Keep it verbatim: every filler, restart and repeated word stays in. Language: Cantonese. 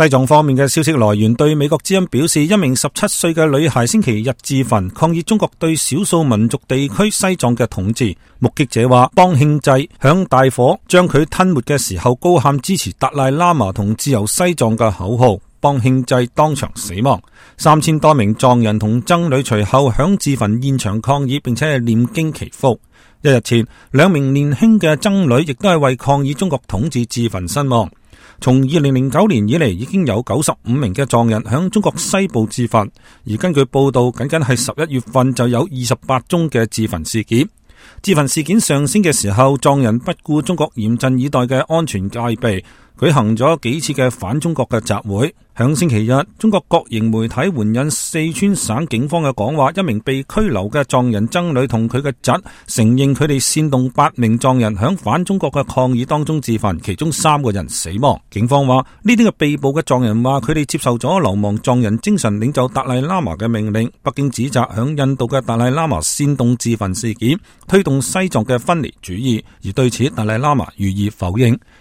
西藏方面嘅消息來源對美國之音表示，一名十七歲嘅女孩星期日自焚，抗議中國對少數民族地區西藏嘅統治。目擊者話，邦慶濟響大火將佢吞沒嘅時候，高喊支持達賴喇嘛同自由西藏嘅口號，邦慶濟當場死亡。三千多名藏人同僧侶隨後響自焚現場抗議，並且係念經祈福。一日前，兩名年輕嘅僧侶亦都係為抗議中國統治自焚身亡。從二零零九年以嚟，已經有九十五名嘅藏人響中國西部自焚，而根據報道，僅僅係十一月份就有二十八宗嘅自焚事件。自焚事件上升嘅時候，藏人不顧中國嚴陣以待嘅安全戒備，舉行咗幾次嘅反中國嘅集會。響星期日，中國國營媒體援引四川省警方嘅講話，一名被拘留嘅藏人僧侶同佢嘅侄承認佢哋煽動八名藏人響反中國嘅抗議當中自焚，其中三個人死亡。警方話呢啲嘅被捕嘅藏人話佢哋接受咗流亡藏人精神領袖達賴喇嘛嘅命令。北京指責響印度嘅達賴喇嘛煽動自焚事件，推動西藏嘅分離主義，而對此達賴喇嘛予以否認。